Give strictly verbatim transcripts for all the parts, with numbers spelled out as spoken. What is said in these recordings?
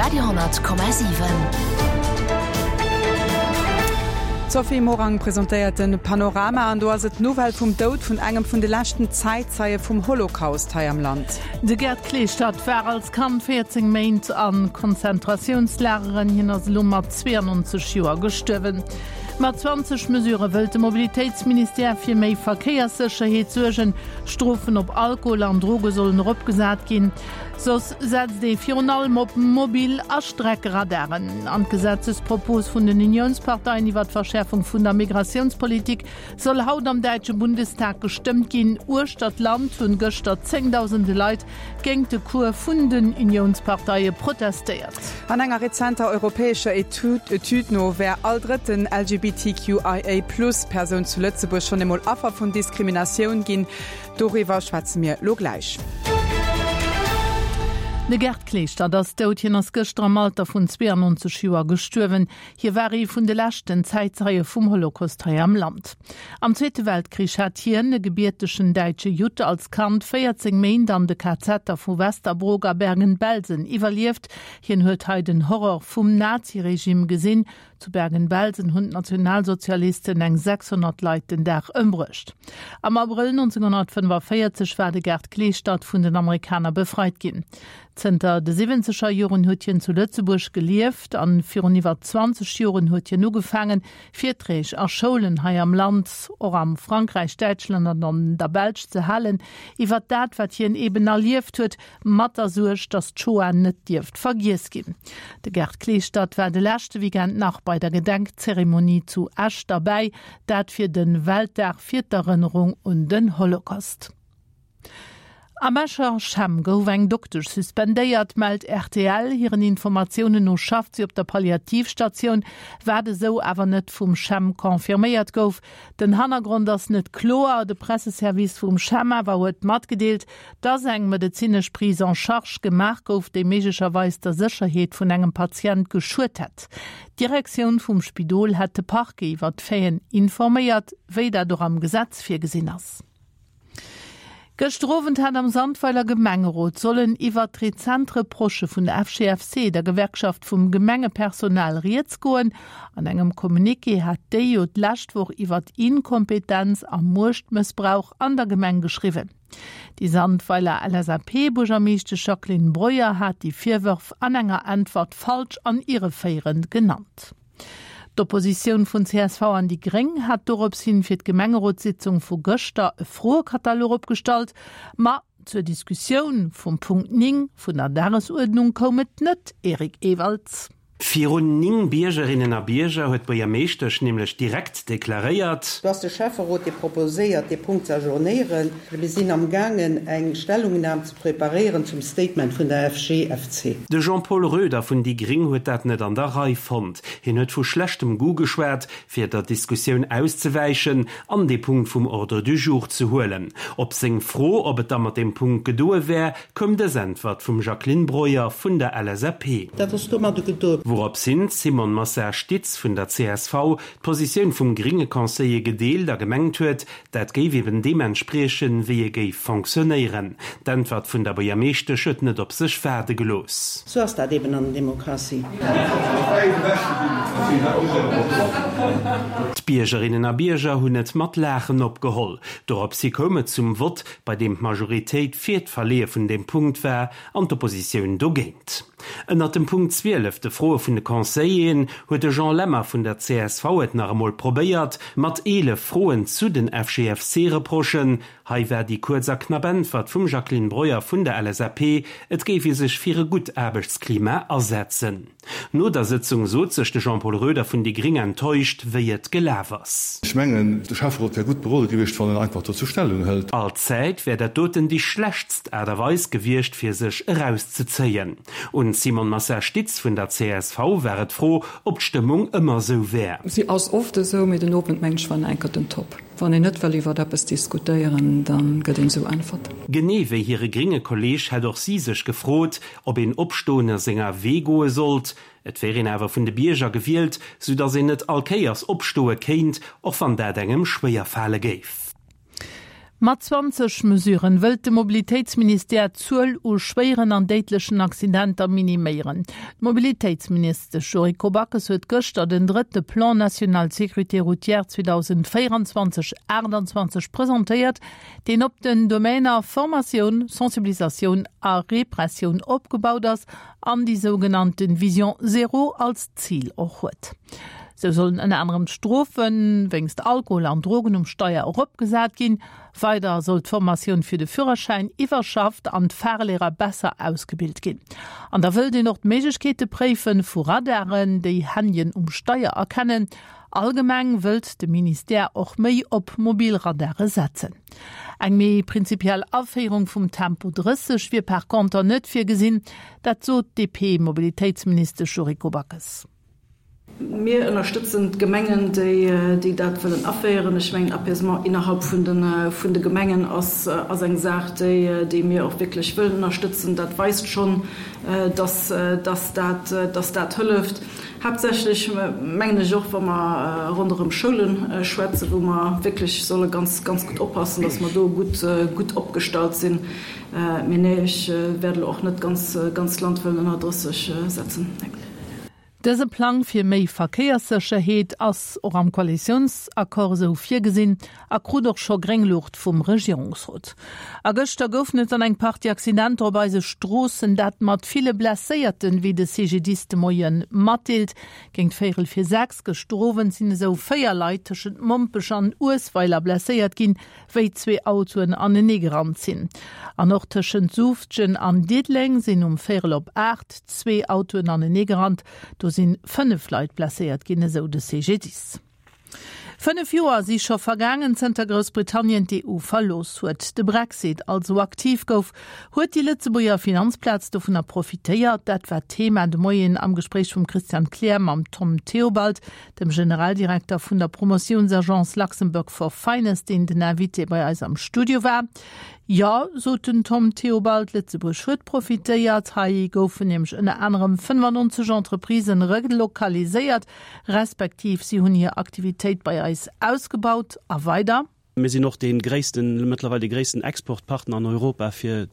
Radio honnert Komma siwen. D'Sophie Morang presentéiert de Panorama an do ass et d'Nouvelle vum Doud vun engem vun de leschten Zäitzeie vum Holocaust hei am Land. De Gerd Kleestadt war als Kand véierzéng Méint a Konzentratiounslageren, hien ass elo mat zweeannonzeg Joer gestuerwen. Mat zwanzeg Mesurë wëllt de Mobilitéitsministère fir méi Verkéierssécherheet suergen. Strofen op Alkohol an Droge sollen eropgesat ginn. Soss setzt ee virun allem op Mobil a Streckeradaren. An d'Gesetzespropos vun den Uniounsparteien iwwer d'Verschäerfung vun der Migratiounspolitik soll haut am däitsche Bundestag gestëmmt ginn. Uechter d'Land hunn gëschter zéngdausende Leit géingt de Cours vun den Uniounsparteie protestéiert. An enger rezenter europäescher Etüd no wär all drëtten L G B T Q I A plus Persoun zu Lëtzebuerg schonn emol Affer vun Diskriminatioun ginn. Doriwwer schwätze mir lo gläich. De Gerd Kleeschtert ass dout. Hien ass gëschter am Alter vun zweeannonzeg Joer gestuerwen. Hie war ee vun de leschten Zäitzeie vum Holocaust hei am Land. Am Zweete Weltkrich hat hien, e gebiertegen däitsche Judd, als Kand véierzéng Méint an de K Zeter vu Westerbork a Bergen-Belsen iwwerlieft. Hien huet hei den Horror vum Naziregime gesinn. Zu Bergen-Belsen hunn d'Nationalsozialisten eng sechshonnert Leit den Dag ëmbruecht. Am Abrëll nonzénghonnertfënnefaféierzeg war de Gerd Kleeschtert vun den Amerikaner befreit ginn. Zënter de siwwenzeger Joren huet hien zu Lëtzebuerg gelieft an virun iwwer zwanzeg Joren huet hien ugefaangen, Virträg a Schoulen hei am Land, och am Frankräich, Däitschland an an der Belsch ze halen, iwwer dat, wat hien eben erlieft huet, mat der Suerg, datt d'Shoah net dierft vergiess ginn. De Gerd Kleeschtert war de leschte Weekend nach bei der Gedenkzeremonie zu Esch derbäi, dat fir de Weltdag fir d'Erënnerung un den Holocaust. Am Escher CHEM gouf eng Doktesch suspendéiert, mellt R T L. Hiren Informatiounen no schafft si op der Palliativstatioun, wat esou awer net vum CHEM confirméiert gouf. Den Hannergrond ass net kloer. De Presseservice vum CHEM awer huet matgedeelt, dass eng medezinesch Prise en charge gemaach gouf, déi méiglecherweis der Sécherheet vun engem Patient geschuet hätt. D'Direktioun vum Spidol hätt de Parquet iwwer d'Faiten informéiert, wéi dat och am Gesetz virgesinn ass. Gëschter Owend hat am Sandweiler Gemengerot sollen iwwer rezent Reprochë vun der F G F C, der Gewerkschaft vum Gemengepersonal, rieds goen. An engem Communiqué hat déi jo d'lescht Woch iwwer Inkompetenz a Muechtmëssbrauch an der Gemeng geschriwwen. Déi Sandweiler L S A P-Buergermeeschtesch Jacqueline Breuer hat déi Virwërf an enger Äntwert falsch an irreféierend genannt. D'Oppositioun vun C S V an déi Gréng hat dorops hin fir d'Gemengerotssitzung vu gëschter e Froekatalog opgestallt, ma zur Diskussioun vum Punkt néng vun der Dagesuerdnung koum et net, Eric Ewald. Virun néng Biergerinnen a Bierger huet d'Buergermeeschtesch nämlech direkt deklaréiert. Do ass de Schäfferot, dee proposéiert, dee Punkt ze ajournéieren. Mir sinn amgaangen, eng Stellungnam ze preparéieren zum Statement vun der F G F C. De Jean-Paul Roeder vun déi Gréng huet dat net an der Rei fonnt. Hien huet vu schlechtem Goût geschwat, fir der Diskussioun auszewäichen an dee Punkt vum Ordre du jour ze huelen. Op seng Fro, ob et da mat deem Punkt gedoe wär, koum dës Äntwert vum Jacqueline Breuer vun der L S A P. Dat ass domadder gedoen. Wourops hin d'Simone Massard-Stitz vun der C S V d'Positioun vum grénge Conseiller gedeelt a gemengt huet, dat géif eben deem entspriechen, wéi e géif fonctionnéieren. D'Äntwert vun der Buergermeeschtesch huet net op sech waarde gelooss. Sou ass dat eben an der Demokratie. D'Biergerinnen a Bierger hunn et mat Laachen opgeholl. Dorops hi koum et zum Vott, bei deem d'Majoritéit fir d'Verleeë vun deem Punkt war an d'Oppositioun dogéint. Ënnert dem Punkt zwielef, de Froe vun de Conseilleren, huet de Jean Lemmer vun der C S V et nach emol probéiert, mat eelef Froen zu den F G F C-Reprochen. Hei war déi kuerz a knapp Äntwert vum Jacqueline Breuer vun der L S A P, et géif ee sech fir e gutt Aarbechtsklima asetzen. No der Sëtzung sot sech de Jean-Paul Roeder vun déi Gréng enttäuscht, wéi et gelaf ass. Ech mengen, de Schäfferot wär gutt berode gewiescht, wann en einfach dozou Stellung hëlt. Allzäit wär dat doten déi schlechtst Aart a Weis gewiescht, fir sech erauszezéien. Un d'Simone Massard-Stitz vun der C S V war et d'Fro, ob d'Stëmmung ëmmer sou wär. Si ass oft esou, mee den Owend mengen ech war nach eng Kéier den Top. Wann een net wëll iwwer eppes diskutéieren, dann gëtt een esou Äntwert. Genee wéi hire grénge Kolleeg hätt och si sech gefrot, ob een opstoen a senger Wee goe sollt. Et wär een awer vun de Bierger gewielt, sou datt een net all Kéiers opstoe kéint, och wann dat engem schwéier fale géif. Mat zwanzeg Mesuren wëllt de Mobilitéitsministère d'Zuel u schwéieren an déidlechen Accidenter miniméieren. D'Mobilitéitsministesch Yuriko Backes huet gëschter den drëtte Plan national sécurité routière zweedausendvéierenzwanzeg aachtanzwanzeg presentéiert, deen op den Domainer Formatioun, Sensibilisatioun a Repressioun opgebaut ass an déi sougenannte Vision zéro als Zil och huet. Sou sollen ënner anerem d'Strofe wéinst Alkohol an Drogen um Steier eropgesat ginn. Weider soll d'Formatioun fir de Führerschäin iwwerschafft an d'Fahrlehrer besser ausgebilt ginn. An da wëllt een och d'Méiglechkeete préife vu Radaren, déi Handyen um Steier erkennen. Allgemeng wëllt de Ministère och méi op mobil Radare setzen. Eng méi prinzipiell Aféierung vum Tempo drësseg wier par conter net virgesinn, dat sot d'DP-Mobilitéitsministesch Yuriko Backes. Mir ënnerstëtzen d'Gemengen, déi dat wëllen aféieren. Ech mengen, Apaisement innerhalb vun de, vun de Gemengen ass, ass eng Saach, déi, déi mir och wierklech wëllen ënnerstëtzen. Dat weist schonn, dass, dass dat, dass dat hëlleft. Haaptsächlech mengen ech och, wa mer ronderëm Schoule schwätzen, wou mer wierklech solle ganz, ganz gutt oppassen, dass mer do gutt, gutt opgestallt sinn. Mee nee, ech wäert elo och net d'ganz, ganz Land wëllen ënner drësseg setzen. Nee. Dëse Plang fir méi Verkéierssécherheet ass och am Koalitiounsaccord esou virgesinn a krut och scho gréng Luucht vum Regierungsrot. A gëschter goufen et dann eng Partie Accidenter op eise Stroossen, dat mat ville Blesséierten, wéi de C G D I S de Moie matdeelt. Géint véierel fir sechs gëschter Owend sinn esou véier Leit tëschent Mompech an Uesweiler blesséiert ginn, wéi zwee Autoen aneneegerannt sinn. An och tëschent Suuftgen an Diddeleng sinn um véierel op aacht zwee Autoen aneneegerannt. Do sinn fënnef Leit blesséiert ginn, esou de C G D I S. Fënnef Joer si scho vergaangen, zënter Groussbritannien d'E U verlooss huet. De Brexit also aktiv gouf. Huet déi Lëtzebuerger Finanzplaz dovunner profitéiert? Dat war d'Thema de Moien am Gespréich vum Christian Kleer mam Tom Theobald, dem Generaldirekter vun der Promotiounsagence Luxembourg for Finance, deen den Invité bei eis am Studio war. Jo, sot den Tom Theobald, Lëtzebuerg huet profitéiert. Hei goufen nämlech ënner anerem fënnefannonzeg Entreprisen relokaliséiert, respektiv si hunn hir Aktivitéit bei eis ausgebaut a weider. Mir sinn och dee gréissten, mëttlerweil de gréissten Exportpartner an Europa fir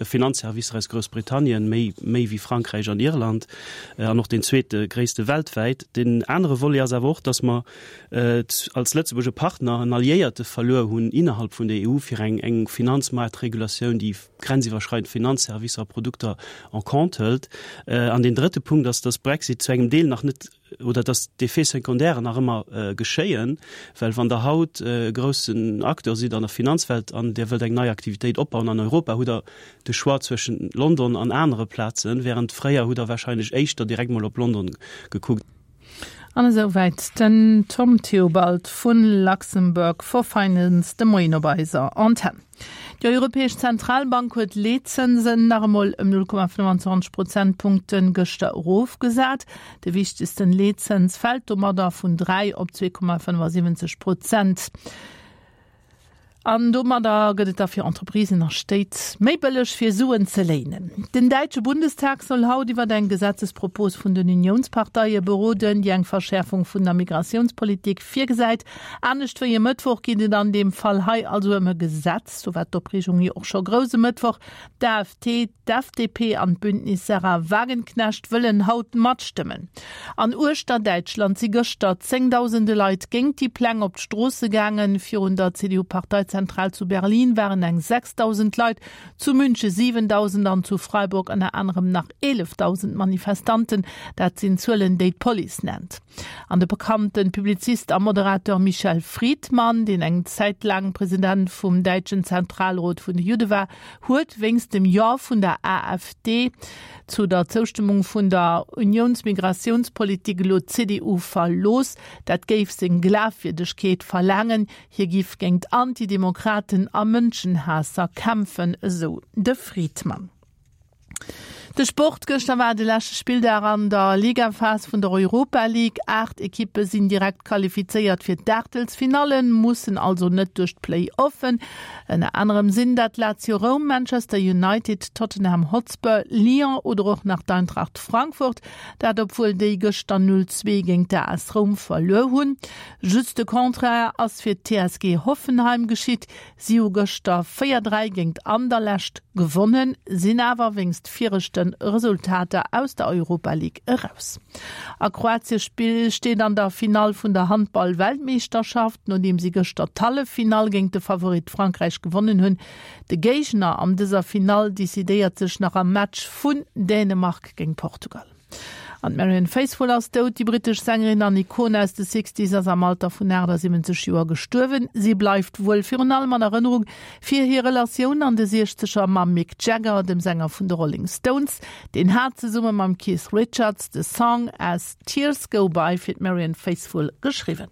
Finanzservicer aus Groussbritannien, méi méi wéi Frankräich an Irland, an och deen zweete gréisste weltwäit. Den anere Volet ass awer och, datt mer als Lëtzebuerg e Partner, en Alliéierte verluer hunn innerhalb vun der E U fir eng eng Finanzmaartregulatioun, déi grenziwwerschreidend Finanzservicer a Produkter en compte hëlt. An deen drëtte Punkt ass, datt Brexit zu engem Deel nach net oder dass d'Effets secondaires nach ëmmer äh, geschéien, well wann der haut äh, groussen Acteur sidd an der Finanzwelt an Dir wëllt eng nei Aktivitéit opbauen an Europa, hutt Der de Choix zwëschen London an anere Plazen, während fréier hutt Der wahrscheinlech éischter direkt mol op London gekuckt. An esouwäit den Tom Theobald vun Luxembourg for Finance de Moien op eiser Antenn. Déi Europäesch Zentralbank huet d'Leetzënsen nach emol ëm null Komma fënnfanzwanzeg Prozentpunkten gëschter erofgesat. De wichtegsten Leetzëns fält domadder vun dräi op zwee Komma fënnefasiwwenzeg Prozent. An domadder gëtt et da fir Entreprisen a Stéit méi bëlleg fir Suen ze léinen. Den däitsche Bundestag soll haut iwwer eng Gesetzespropos vun den Uniounsparteie beroden, déi eng Verschäerfung vun der Migratiounspolitik virgesäit. Anescht wéi e Mëttwoch geet et an deem Fall hei also ëm e Gesetz, sou war d'Opreegung jo och scho grouss e Mëttwoch. D'A F D, d'F D P an d'Bündnis Sahra Wagenknecht wëllen haut matstëmmen. An uechter Däitschland si gëschter zéngdausende Leit géint déi Pläng op d'Stroosse gaangen. Virun der C D U-Parteizentral zu Berlin waren eng sechsdausend Leit, zu Münche siwendausend an zu Freiburg ënner anerem nach eelefdausend Manifestanten. Dat sinn Zuelen, déi d'Police nennt. An de bekannte Publizist a Moderateur Michel Friedman, deen eng Zäit laang President vum däitschen Zentralrot vun de Judde war, huet wéinst dem Jo vun der A F D zu der Zoustëmmung vun der Uniounsmigratiounspolitik elo d'C D U verlooss. Dat géif seng Glafwierdegkeet verlaangen. Hie géif géint Antidemokraten a Mënschenhaasser kämpfen, esou de Friedman. De Sport Gëschter war de leschte Spilldag an der Ligaphas vun der Europa League. Aacht Ekippe sinn direkt qualifizéiert fir d'Aachtelsfinallen, mussen also net duerch d'Play-Offen. Ënner anerem sinn dat Lazio Roum, Manchester United, Tottenham Hotspur, Lyon oder och nach d'Eintracht Frankfurt. Dat obwuel déi gëschter null zwee géint d'A S Roum verluer hunn. Just de Contraire ass fir d'T S G Hoffenheim geschitt. Si hu gëschter véier, dräi géint Anderlecht gewonnen, sinn awer wéinst viregte Resultater aus der Europa League eraus. A Kroatie steet an der Finall vun der Handball-Weltmeeschterschaft, nodeem si gëschter d'Halleffinall géint de Favorit Frankräich gewonnen hunn. De Géigner an dëser Finall decidéiert sech nach am Match vun Dänemark géint Portugal. An d'Marianne Faithfull ass dout. Déi brittesch Sängerin an Ikon aus de Sixties ass am Alter vun achtasiwwenzeg Joer gestuerwen. Si bleift wuel virun allem an Erënnerung fir hir Relatioun an de Siechzeger mam Mick Jagger, dem Sänger vun de Rolling Stones. Deen hat zesumme mam Keith Richards de Song As Tears Go By fir d'Marianne Faithfull geschriwwen.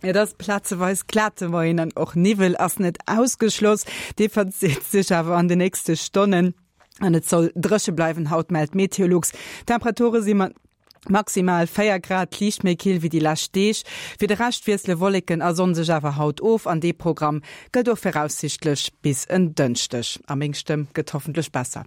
Et ass plazeweis glat de Moien an och Niwwel ass net ausgeschloss. Dee verzitt sech awer an de nächste Stonnen an et soll dréche bleiwen haut, mellt Meteolux. Temperature si mat maximal véier Grad liicht méi kill wéi déi lescht Deeg. Fir de Rescht wiessele Wolleken a Sonn sech awer haut of an dee Programm gëllt och viraussiichtlech bis en Dënschdeg. A meng Stëmm gëtt hoffentlech besser.